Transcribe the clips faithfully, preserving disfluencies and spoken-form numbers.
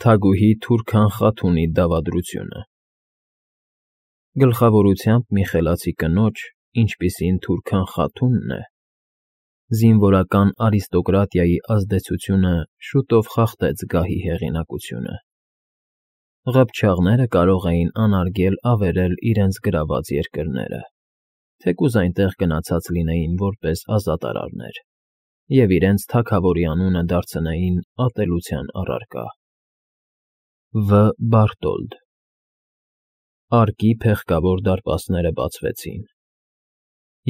Թագուհի Թուրքան Խաթունի դավադրությունը Գլխավորությամբ մի խելացի կնոջ, ինչպիսին Թուրքան Խաթունն է, զինվորական արիստոկրատիայի ազդեցությունը շուտով խախտեց գահի հեղինակությունը։ Ղփչաղները կարող էին անարգել ավերել իրենց գրաված երկրները, թեկուզ այնտեղ գնացած լինեին որպես ազատարարներ, և իրենց թագավորի անունը դարձնեին ատելության առարկա։ Վ. Բարտոլդ Արկի փեղկավոր դարպասները բացվեցին,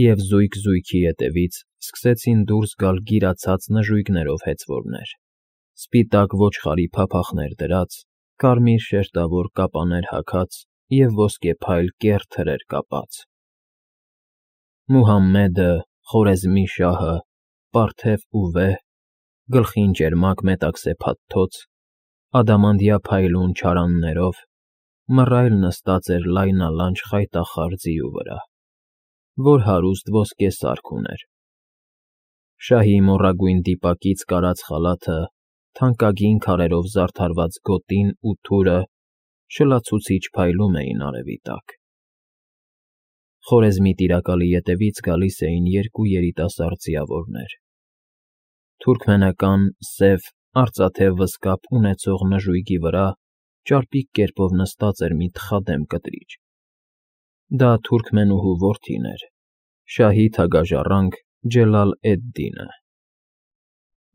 և զույգ-զույգի ետևից սկսեցին դուրս գալ գիրացած նժույգներով հեծվորներ, սպիտակ ոչխարի փափախներ դրած, կարմիր շերտավոր կապաներ հագած և ոսկեփայլ կեռ թրեր կապած։ Մուհամմեդը, Խորեզմի շահը, պարթև ու վեհ, գլխին ճերմակ մետաքսե փաթթոց, ադամանդյա փայլուն չարաններով, մռայլ նստած էր լայնալանջ խայտախառ ձիու վրա, որ հարուստ ոսկե սարք ուներ։ Շահի մոռագույն դիպակից կարած խալաթը, թանկագին քարերով զարդարված գոտին ու թուրը շլացուցիչ փայլում էին արևի տակ։ Խորեզմի տիրակալի ետևից գալիս էին երկու երիտասարդ ձիավորներ։ Թուրքմենական, սև, արծաթե վզկապ ունեցող նժույգի վրա ճարպիկ կերպով նստած էր մի թխադեմ կտրիչ։ Դա թուրքմենուհու որդին էր, շահի թագաժառանգ Ջելալ-էդ֊Դինը։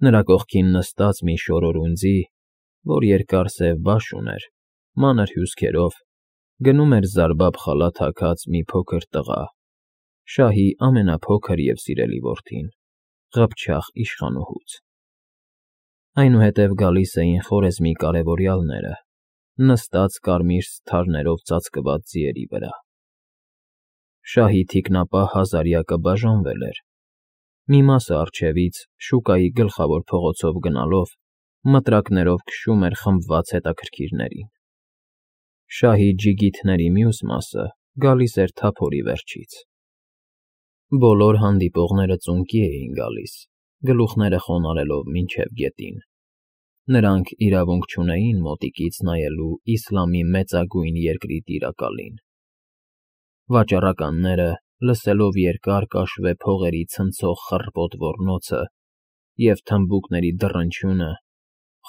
Նրա կողքին նստած մի շորորուն ձի, որ երկար սև բաշ ուներ, մանր հյուսքերով, գնում էր զարբափ խալաթ հագած մի փոքր տղա, շահի ամենափոքր և սիրելի որդին, ղփչաղ իշխանուհուց։ Այնուհետև գալիս էին Խորեզմի կարևորյալները, նստած կարմիր սթարներով ծածկված ձիերի վրա։ Շահի թիկնապահ հազարյակը բաժանվել էր, մի մասը առջևից, շուկայի գլխավոր փողոցով գնալով, մտրակներով քշում էր խմբված հետաքրքիրներին։ Շահի ջիգիթների մյուս մասը գալիս էր թափորի վերջից։ Բոլոր հանդիպողները ծունկի էին գալիս, գլուխները խոնարհելով մինչև գետին։ Նրանք իրավունք չունեին մոտիկից նայելու իսլամի մեծագույն երկրի տիրակալին։ Վաճառականները, լսելով երկար կաշվե փողերի ցնցող խռպոտ ոռնոցը և թմբուկների դռնչյունը,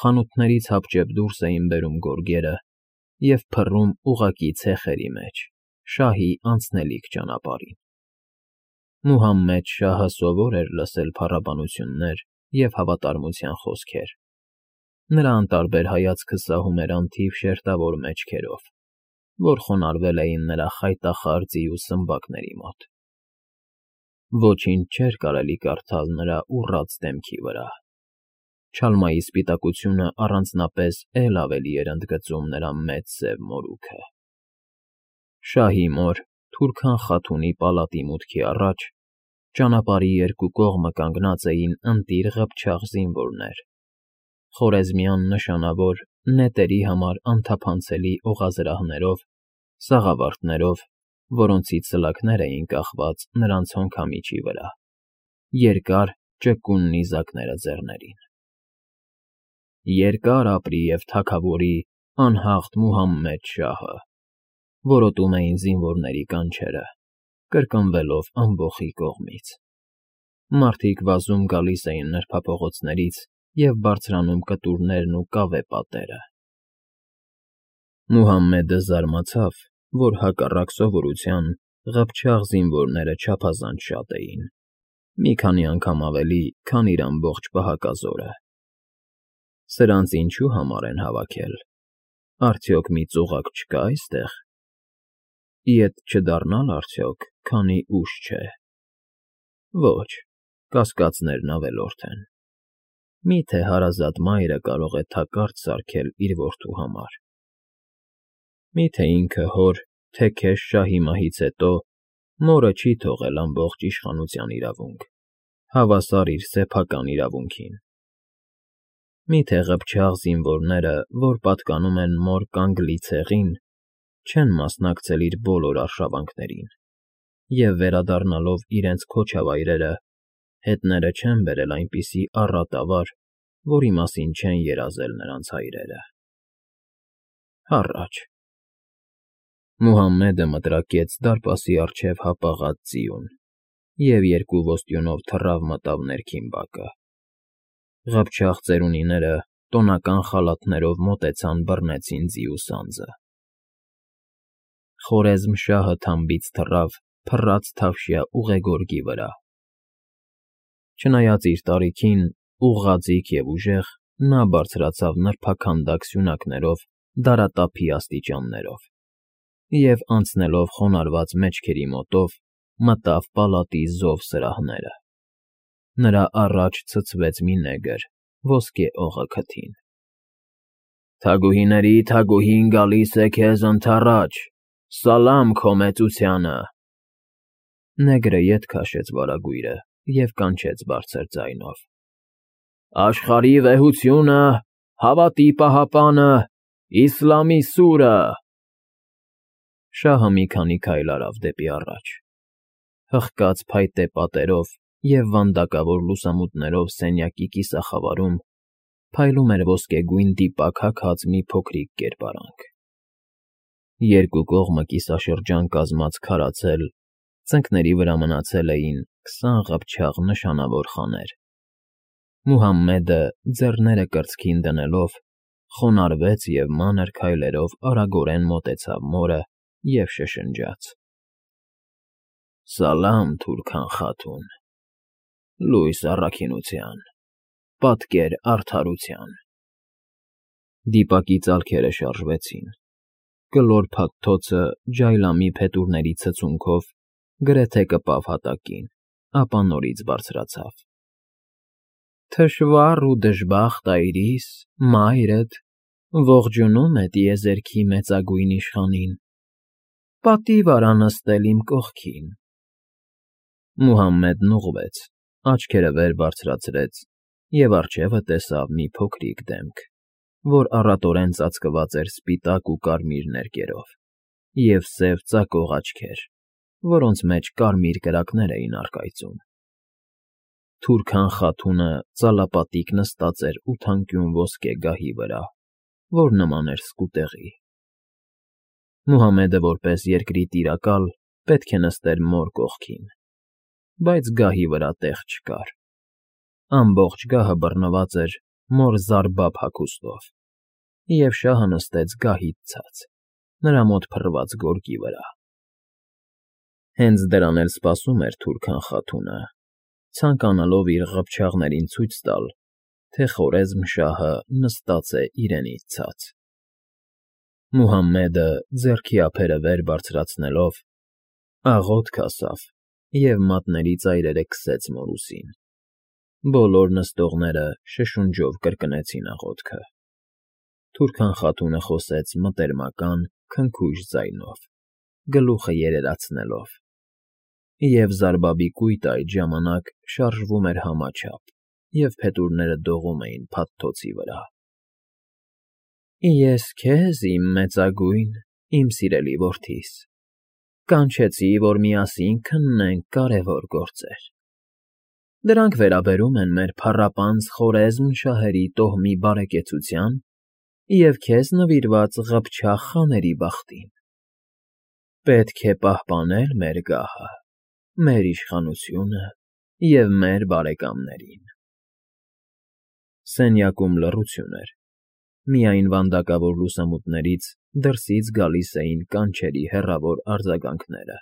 խանութներից հապճեպ դուրս էին բերում գորգերը և փռում ուղղակի ցեխերի մեջ, շահի անցնելիք ճանապարհին։ Մուհամմեդ շահը սովոր էր լսել փառաբանություններ և հավատարմության խոսքեր։ Նրա անտարբեր հայացքը սահում էր անթիվ շերտավոր մեջքերով, որ խոնարհվել էին նրա խայտախառ ձիու սմբակների մոտ։ Ոչինչ չէր կարելի կարդալ նրա ուռած դեմքի վրա։ Չալմայի սպիտակությունը առանձնապես էլ ավելի էր ընդգծում նրա մեծ սև մորուքը։ Շահի մոր Թուրքան Խաթունի պալատի մուտքի առաջ, ճանապարհի երկու կողմը կանգնած էին ընտիր ղփչաղ զինվորներ, խորեզմյան նշանավոր, նետերի համար անթափանցելի օղազրահներով, սաղավարտներով, որոնցից սլաքներ էին կախված նրանց հոնքամիջի վրա, երկար ճկուն նիզակները ձեռներին։ Երկար ապրի և թագավորի անհաղթ Մուհամմեդ շահը, որոտում էին զինվորների կանչերը, կրկնվելով ամբոխի կողմից։ Մարդիկ վազում գալիս էին նրբափողոցներից և բարձրանում կտուրներն ու կավե պատերը։ Մուհամմեդը զարմացավ, որ հակառակ սովորության ղփչաղ զինվորները չափազանց շատ էին, մի քանի անգամ ավելի, քան իր ամբողջ պահակազորը։ Սրանց ինչու համար են հավաքել, արդյոք մի ծուղակ չկա՞ այստեղ։ Ետ չդառնա՞լ արդյոք, քանի ուշ չէ։ Ոչ, կասկածներն ավելորդ են։ Մի՞թե հարազատ մայրը կարող է թակարդ սարքել իր որդու համար։ Մի՞թե ինքը հոր, թեքեշ շահի մահից հետո, մորը չի թողել ամբողջ իշխանության իրավունք, հավասար իր սեփական իրավունքին։ Մի՞թե ղփչաղ զինվորները, որ պատկանում են մոր կանգլի ցեղին, չեն մասնակցել իր բոլոր արշավանքներին և, վերադառնալով իրենց քոչավայրերը, հետները չեն բերել այնպիսի առատավար, որի մասին չեն երազել նրանց հայրերը։ Հառաչ։ Մուհամմեդը մտրակեց դարպասի առջև հապաղած ձիուն և երկու ոստյունով թռավ մտավ ներքին բակը։ Ղփչաղ ծերունիները տոնական խալաթներով մոտեցան բռնեցին ձիու սանձը։ Խորեզմ֊շահը թամբից թռավ փռած թավշյա ուղեգորգի վրա։ Չնայած իր տարիքին, ուղղաձիգ և ուժեղ, նա բարձրացավ նրբաքանդակ սյունակներով դարատափի աստիճաններով և, անցնելով խոնարհված մեջքերի մոտով, մտավ պալատի զով սրահները։ Նրա առաջ ցցվեց մի նեգր, ոսկե օղը քթին։ Թագուհիների թագուհին գալիս է քեզ ընդառաջ, սալամ քո մեծությանը… Նեգրը ետ քաշեց վարագույրը և կանչեց բարձր ձայնով. Աշխարհի վեհությունը, հավատի պահապանը, իսլամի սուրը… Շահը մի քանի քայլ արավ դեպի առաջ։ Հղկած փայտե պատերով և վանդակավոր լուսամուտներով սենյակի կիսախավարում փայլում էր ոսկեգույն դիպակ հագած մի փոքրիկ կերպարանք։ Երկու կողմը կիսաշրջան կազմած քարացել, ծնկների վրա մնացել էին քսան ղփչաղ նշանավոր խաներ։ Մուհամմեդը, ձեռները կրծքին դնելով, խոնարհվեց և մանր քայլերով արագորեն մոտեցավ մորը և շշնջաց. Սալամ Թուրքան խաթուն… Լույս առաքինության… պատկեր արդարության… Դիպակի ծալքերը շարժվեցին։ Կլոր փաթթոցը ջայլամի փետուրների ցցունքով գրեթե կպավ հատակին, ապա նորից բարձրացավ. Թշվառ ու դժբախտ այրիս, մայրդ, ողջունում է տիեզերքի մեծագույն իշխանին, պատիվ արա նստել իմ կողքին… Մուհամմեդն ուղղվեց, աչքերը վեր բարձրացրեց և առջևը տեսավ մի փոքրիկ դեմք, որ առատորեն ծածկված էր սպիտակ ու կարմիր ներկերով, և սև ծակող աչքեր, որոնց մեջ կարմիր կրակներ էին առկայծում։ Թուրքան խաթունը ծալապատիկ նստած էր ութանկյուն ոսկե գահի վրա, որ նման էր սկուտեղի։ Մուհամմեդը որպես երկրի տիրակալ պետք է նստեր մոր կողքին, բայց գահի վրա տեղ չկար։ Ամբողջ գահը բռնված էր մոր զարբափ հագուստով, և շահը նստեց գահից ցած, նրա մոտ փռված գորգի վրա։ Հենց դրան էլ սպասում էր Թուրքան խաթունը, ցանկանալով իր ղփչաղներին ցույց տալ, թե Խորեզմ֊շահը նստած է իրենից ցած։ Մուհամմեդը, ձեռքի ափերը վեր բարձրացնելով, աղոթք ասավ և մատների ծայրերը քսեց մոր ուսին։ Բոլոր նստողները շշունջով կրկնեցին աղոթքը։ Թուրքան խաթունը խոսեց մտերմական, քնքուշ ձայնով, գլուխը երերացնելով, և զարբաբի կույտը այդ ժամանակ շարժվում էր համաչափ, և փետուրները դողում էին փաթթոցի վրա։ Ես քեզ, իմ մեծագույն, իմ սիրելի որդիս, կանչեցի, որ միասին քննենք կարևոր գործեր։ Դրանք վերաբերում են մեր փառապանծ Խորեզմ֊շահերի տոհմի բարեկեցության և քեզ նվիրված ղփչաղ խաների բախտին։ Պետք է պահպանել մեր գահը, մեր իշխանությունը և մեր բարեկամներին… Սենյակում լռություն էր, միայն վանդակավոր լուսամուտներից դրսից գալիս էին կանչերի հեռավոր արձագանքները.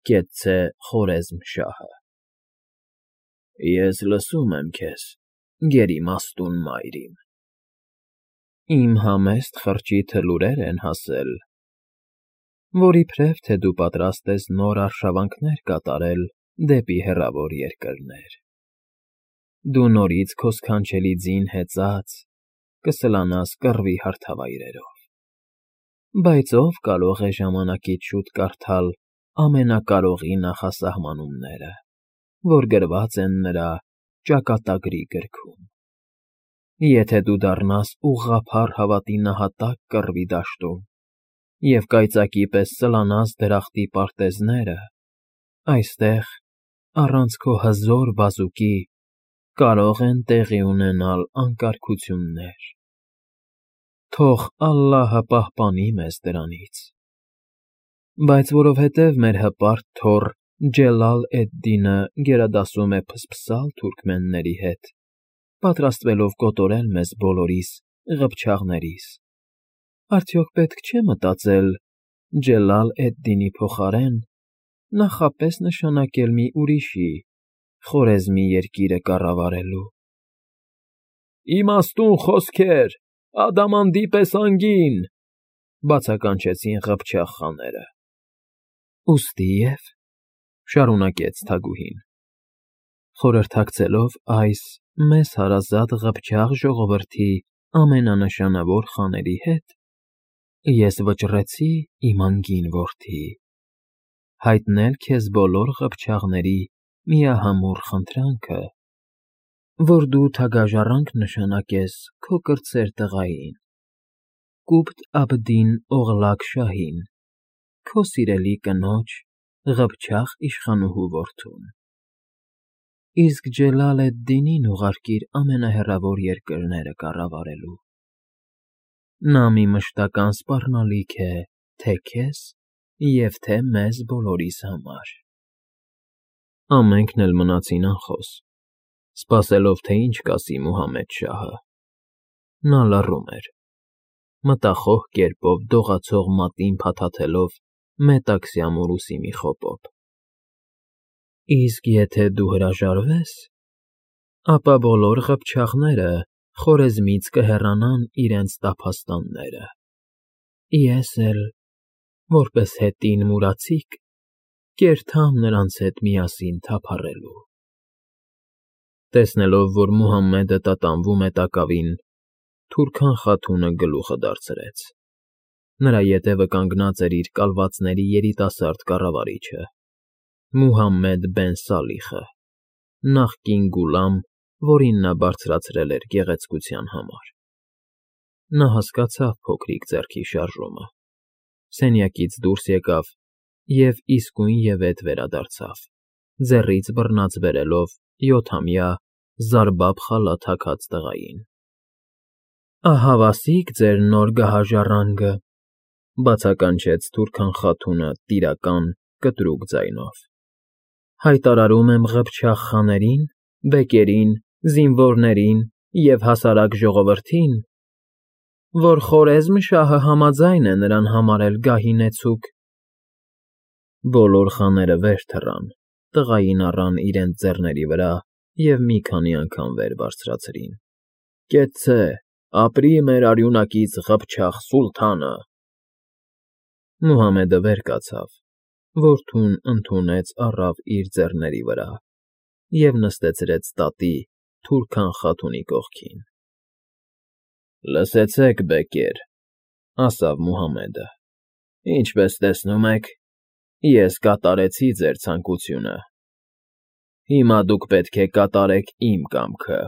Կեցցե Խորեզմ֊շահը… Ես լսում եմ քեզ, գերիմաստուն մայր իմ… Իմ համեստ խրճիթը լուրեր են հասել, որ իբրև թե դու պատրաստ ես նոր արշավանքներ կատարել դեպի հեռավոր երկրներ, դու նորից քո սքանչելի ձին հեծած կսլանաս կռվի հարթավայրերով… Բայց ո՞վ կարող է ժամանակից շուտ կարդալ Ամենակարողի նախասահմանումները, որ գրված են նրա ճակատագրի գրքում… Եթե դու դառնաս ուղղափառ հավատի նահատակ կռվի դաշտում և կայծակի պես սլանաս դրախտի պարտեզները, այստեղ, առանց քո հզոր բազուկի, կարող են տեղի ունենալ անկարգություններ… Թող Ալլահը պահպանի մեզ դրանից։ Բայց որովհետև մեր հպարտ թոռ Ջելալ էդ֊Դինը գերադասում է փսփսալ թուրքմենների հետ, պատրաստվելով կոտորել մեզ բոլորիս, ղփչաղներիս, արդյոք պետք չէ մտածել Ջելալ էդ֊Դինի փոխարեն նախապես նշանակել մի ուրիշի՝ Խորեզմի երկիրը կառավարելու։ Իմաստուն խոսքեր, ադամանդի պես անգին, բացականչեցին ղփչաղ խաները։ Ուստիև, շարունակեց թագուհին, խորհրդակցելով այս մեզ հարազատ ղփչաղ ժողովրդի ամենանշանավոր խաների հետ, ես վճռեցի իմ անգին որդի, հայտնել քեզ բոլոր ղփչաղների միահամուռ խնդրանքը, որ դու թագաժառանգ նշանակես քո կրտսեր տղային, Կուբտ֊Աբդին Օղլակ շահին, քո սիրելի կնոջ՝ ղփչաղ իշխանուհու որդուն, իսկ Ջելալ էդ֊Դինին ուղարկիր ամենահեռավոր երկրները կառավարելու։ Նա մի մշտական սպառնալիք է թե՛ քեզ և թե՛ մեզ բոլորիս համար։ Ամենքն էլ մնացին անխոս, սպասելով, թե ինչ կասի Մուհամեդ շահը։ Նա լռում էր, մտախոհ կերպով դողացող մատին փաթաթելով մետաքսյա մորուսի մի խոպոպ։ Իսկ եթե դու հրաժարվես, ապա բոլոր ղփչաղները Խորեզմից կհեռանան իրենց տափաստանները, ես էլ, որպես հետին մուրացիկ, կերթամ նրանց հետ միասին թափառելու։ Տեսնելով, որ Մուհամմեդը տատանվում է տակավին, Թուրքան Խաթունը գլուխը դարձրեց. նրա ետևը կանգնած էր իր կալվածների երիտասարդ կառավարիչը՝ Մուհամմեդ բեն Սալիխը, նախկին Գուլամ, որին նա բարձրացրել էր գեղեցկության համար։ Նա հասկացավ փոքրիկ ձեռքի շարժումը, սենյակից դուրս եկավ և իսկույնևեթ վերադարձավ, ձեռից բռնած բերելով յոթամյա Զարբաբ խալա թագած տղային։ Ահավասիկ ձեր նոր գահաժառանգը, բացականչեց Թուրքան Խաթունը տիրական, կտրուկ ձայնով, հայտարարում եմ ղփչաղ խաներին, բեկերին, զինվորներին և հասարակ ժողովրդին, որ Խորեզմ շահը համաձայն է նրան համարել գահինեցուկ։ Բոլոր խաները վեր թռան, տղային առան իրենց ձեռների վրա և մի քանի անգամ վեր բարձրացրին։ Կեցցե, ապրի մեր արյունակից ղփչաղ սուլթանը։ Մուհամմեդը վեր կացավ, որդուն ընդունեց առավ իր ձեռների վրա և նստեցրեց տատի Թուրքան Խաթունի կողքին։ Լսեցեք, բեկեր, ասավ Մուհամմեդը, ինչպես տեսնում եք, ես կատարեցի ձեր ցանկությունը, հիմա դուք պետք է կատարեք իմ կամքը։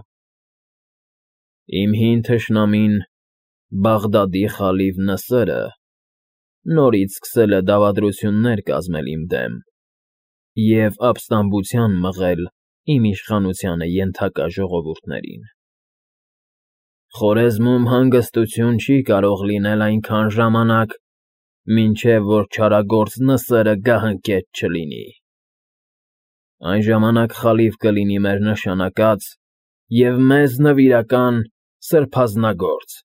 Իմ հին թշնամին՝ Բաղդադի խալիֆ Նսրը նորից սկսել է դավադրություններ կազմել իմ դեմ և ապստամբության մղել իմ իշխանությանը ենթակա ժողովուրդներին։ Խորեզմում հանգստություն չի կարող լինել այնքան ժամանակ, մինչև որ չարագործ Նսրը գահընկեց չլինի։ Այն ժամանակ խալիֆ կլինի մեր նշանակած և մեզ նվիրական սրբազնագործ։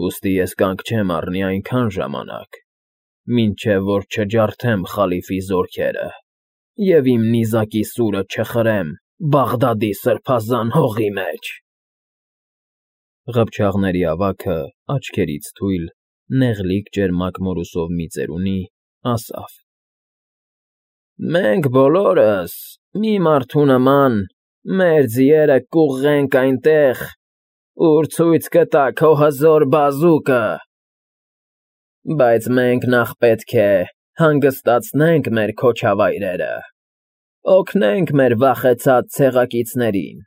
Ուստի ես կանգ չեմ առնի այնքան ժամանակ, մինչև որ չջարդեմ խալիֆի զորքերը և իմ նիզակի սուրը չխրեմ Բաղդադի սրբազան հողի մեջ։ Ղփչաղների ավագը, աչքերից թույլ, նեղլիկ ճերմակ մորուսով մի ծերունի, ասավ. Մենք բոլորս, մի մարդու նման, մեր ձիերը կուղղենք այնտեղ, ուր ցույց կտա քո հզոր բազուկը։ Բայց մենք նախ պետք է հանգստացնենք մեր քոչավայրերը, օգնենք մեր վախեցած ցեղակիցներին։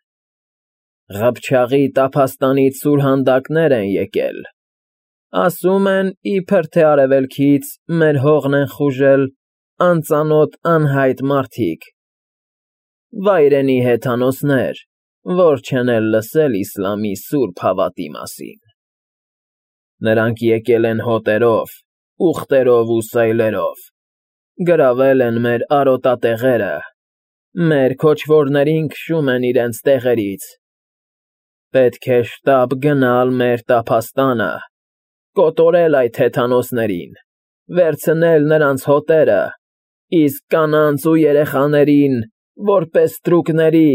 Ղփչաղի տափաստանից սուրհանդակներ են եկել, ասում են, իբր թե արևելքից մեր հողն են խուժել անծանոթ անհայտ մարդիկ, վայրենի հեթանոսներ, որ չեն էլ լսել իսլամի սուրբ հավատի մասին։ Նրանք եկել են հոտերով, ուղտերով ու սայլերով, գրավել են մեր արոտատեղերը, մեր քոչվորներին քշում են իրենց տեղերից. պետք է շտապ գնալ մեր տափաստանը, կոտորել այդ հեթանոսներին, վերցնել նրանց հոտերը, իսկ կանանց ու երեխաներին, որպես ստրուկների,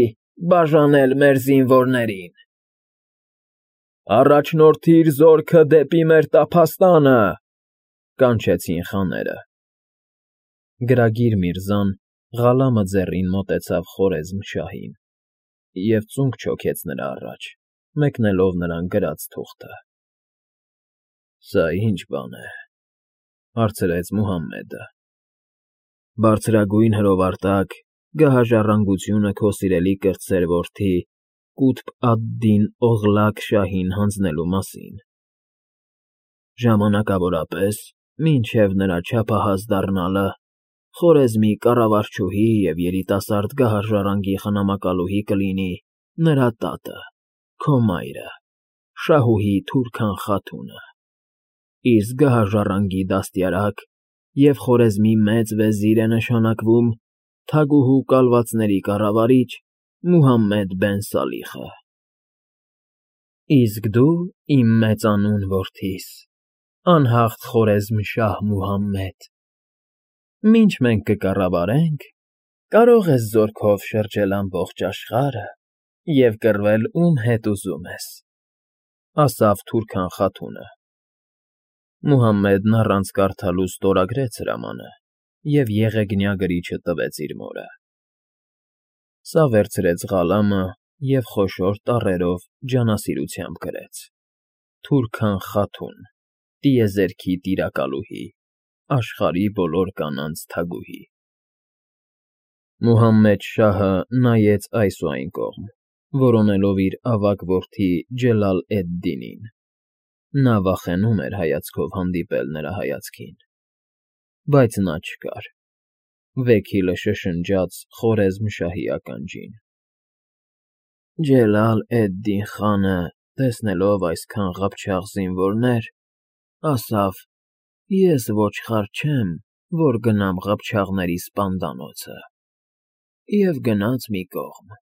բաժանել մեր զինվորներին։ Առաջնորդիր զորքը դեպի մեր տափաստանը, կանչեցին խաները։ Գրագիր Միրզան Ղալամը ձեռին մոտեցավ Խորեզմ֊շահին և ծունկ չոքեց նրա առաջ, մեկնելով նրան գրած թուղթը։ Սա ի՞նչ բան է, հարցրեց Մուհամմեդը։ Բարձրագույն հրովարտակ, գահաժառանգությունը քո սիրելի կրտսեր որդի Կութբ ադ֊Դին Օղլակ շահին հանձնելու մասին։ Ժամանակավորապես, մինչև նրա չափահաս դառնալը, Խորեզմի կառավարչուհի և երիտասարդ գահաժառանգի խնամակալուհի կլինի նրա տատը, քո մայրը, Շահուհի Թուրքան Խաթունը, իսկ գահաժառանգի դաստիարակ և Խորեզմի մեծ վեզիր է նշանակվում թագուհու կալվածների կառավարիչ Մուհամմեդ բեն Սալիխը։ Իսկ դու, իմ մեծանուն որդիս, անհաղթ Խորեզմ֊շահ Մուհամմեդ, մինչ մենք կկառավարենք, կարող ես զորքով շրջել ամբողջ աշխարհը և կռվել ում հետ ուզում ես, ասավ Թուրքան Խաթունը։ Մուհամմեդն առանց կարդալու ստորագրեց հրամանը և եղեգնյա գրիչը տվեց իր մորը։ Սա վերցրեց Ղալամը և խոշոր տառերով ջանասիրությամբ գրեց. Թուրքան Խաթուն, տիեզերքի տիրակալուհի, աշխարհի բոլոր կանանց թագուհի։ Մուհամմեդ շահը նայեց այս ու այն կողմ, որոնելով իր ավագ որդի Ջելալ էդ֊Դինին. նա վախենում էր հայացքով հանդիպել նրա հայացքին, բայց նա չկար։ Վեքիլը շշնջաց Խորեզմ֊շահի ականջին. Ջելալ էդ֊Դին խանը, տեսնելով այսքան ղափչաղ զինվորներ, ասավ. ես ոչխար չեմ, որ գնամ ղփչաղների սպանդանոցը, և գնաց մի կողմ։